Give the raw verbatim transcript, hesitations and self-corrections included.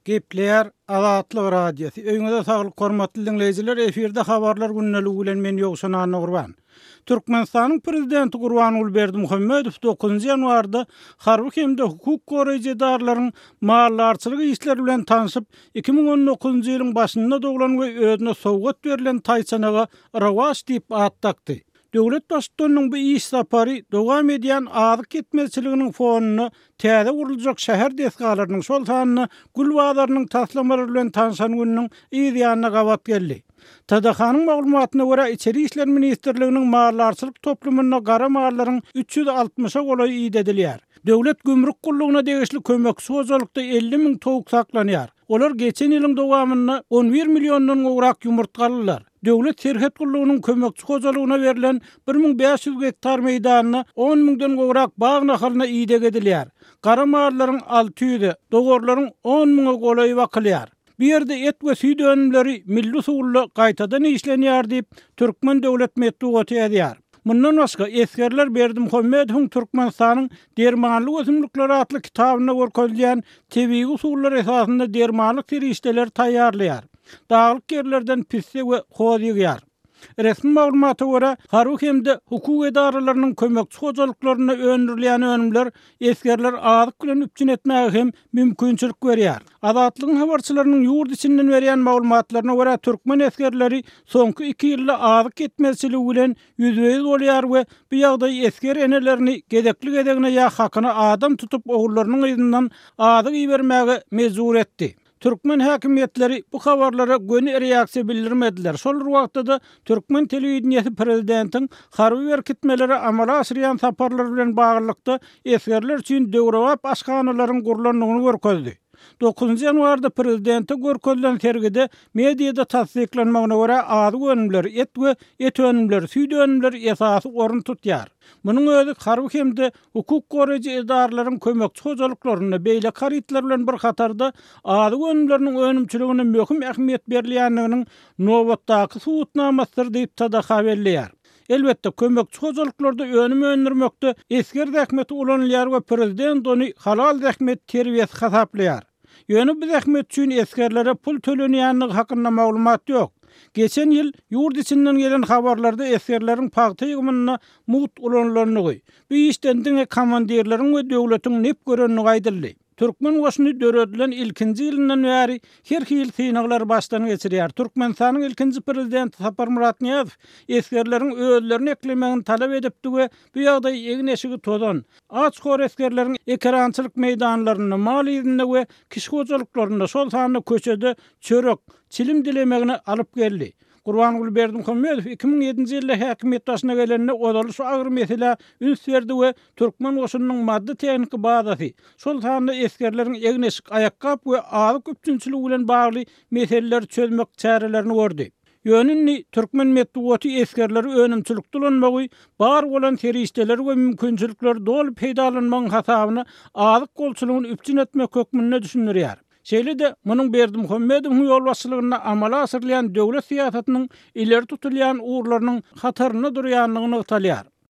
Gepleýär Azatlyk Radiosy. Öýüňize saglyk, hormatly diňleýjiler. Efirde habarlar gündeligi bilen men Ýowşan Annagurban. Türkmenistanyň prezidenti Gurbanguly Berdimuhamedow dokuzynjy ýanwarda harby hem-de hukuk goraýjy edaralaryň maldarçylyk işleri bilen tanşyp, iki müň on dokuzynjy ýylyň başynda doglan we özüne sowgat berlen taýçanaga Rowaç diýip at dakdy. Döwlet baştutanynyň bu iş sapary dowam edýän azyk ýetmezçiliginiň fonunda täze guruljak şäher desgalarynyň, şol sanda gül bazarynyň taslamalary bilen tanşan gününiň yz ýanyna gabat geldi. T D H-nyň maglumatyna görä, Içeri işler ministrliginiň maldarçylyk toplumynda gara mallaryň üç ýüz altmyşa golaýy idedilýär. Döwlet gümrük gullugyna degişli kömekçi hojalykda elli müň towuk saklanýar. Olar geçen ýylyň dowamynda on bir milliondan gowrak ýumurtga aldylar. Döwlet serhet gullugynyň kömekçi hojalygyna berlen bir müň bäş ýüz gektar meýdanyna on müňden gowrak bag nahalyna ideg edilýär. Gara mallaryň alty ýüze, dowarlaryň on müňe golaýy bakylýar. Bu ýerde et we süýt önümleri milli usulda gaýtadan işlenýär diýip, Türkmen döwlet metbugaty ýazýar. Mundan başga esgerler Berdimuhamedowyň Türkmenistanyň dermanlyk ösümlikleri atly kitabynda görkezilýän tebigy usullar esasynda dermanlyk serişdeleri taýýarlaýar. Daglyk ýerlerden pisse we hoz ýygýar. Resmi maglumata görä, harby hem-de hukuk edaralarynyň kömekçi hojalyklarynda öndürilýän önümler esgerler azyk bilen üpjün etmäge hem mümkinçilik berýär. Azatlygyň habarçylarynyň ýurt içinden berýän maglumatlaryna görä, türkmen esgerleri soňky iki ýylda azyk ýetmezçiligi bilen ýüzbe-ýüz bolýar we bu ýagdaý esger enelerini gezekli-gezegine ýa hakyna adam tutup ogullarynyň yzyndan azyk ibermäge mejbur etdi. Türkmen häkimiýetleri bu habarlara göni reaksiýa bildirmediler. Şol bir wagtda da türkmen telewideniýesi prezidentiň harby berkitmelere amala aşyrýan saparlary bilen baglylykda esgerler üçin döwrebap aşhanalaryň gurlandygyny görkezdi. Dokuzynjy ýanwarda prezidente görkezilen sergide mediada tassyklanmagyna görä azyk önümleri, et we et önümleri, süýt önümleri esasy orun tutýar. Munuň özi harby hem-de hukuk goraýjy edaralaryň kömekçi hojalyklarynda beýleki harytlar bilen bir hatarda azyk önümleriniň önümçiligine möhüm ähmiýet berilýändiginiň nobatdaky subutnamasydyr diýip T D H belleýär. Elbetde, kömekçi hojalyklarda önüm öndürmekde esger zähmeti ulanylýar we prezident ony halal zähmet terbiýesi hasaplaýar. Ýöne bu zähmet üçin esgerlere pul tölenýändigi hakynda maglumat ýok. Geçen ýyl ýurt içinden gelen habarlarda esgerleriň pagta ýygymynda mugt ulanylandygy, bu işden diňe komandirleriň we döwletiň nep görendigi aýdyldy. Türkmen goşuny döredilen ilkinji ýylyndan bäri her hil synaglar başdan geçirýär. Türkmenistanyň ilkinji prezidenti Saparmyrat Nyýazow esgerleriň özlerini eklemegini talap edipdi we bu ýagdaý egin-eşigi tozan, aç-hor esgerleriň ekerançylyk meýdanlarynda, mal ýerinde we kişi hojalyklarynda, şol sanda köçede çörek, çilim dilemegini alyp geldi. Gurbanguly Berdimuhamedow iki müň ýedinji ýylda häkimiýet başyna gelende ozaly şu agyr meselä üns berdi we türkmen goşunynyň maddy tehniki bazasy, şol sanda esgerleriň egin-eşik, aýakgap we azyk üpjünçiligi bilen bagly meseleleri çözmek çärelerini gördi. Ýöne indi türkmen metbugaty esgerleri önümçilikde ulanmagy, bar bolan serişdeleri we mümkinçilikleri doly peýdalanmagyň hasabyna azyk bolçulygyny üpjün etmek hökmünde düşündirýär. Şeýle-de munuň Berdimuhamedowyň ýolbaşçylygynda amala aşyrylýan döwlet syýasatynyň ileri tutulýan ugurlarynyň hatarynda durýandygy nygtalýar.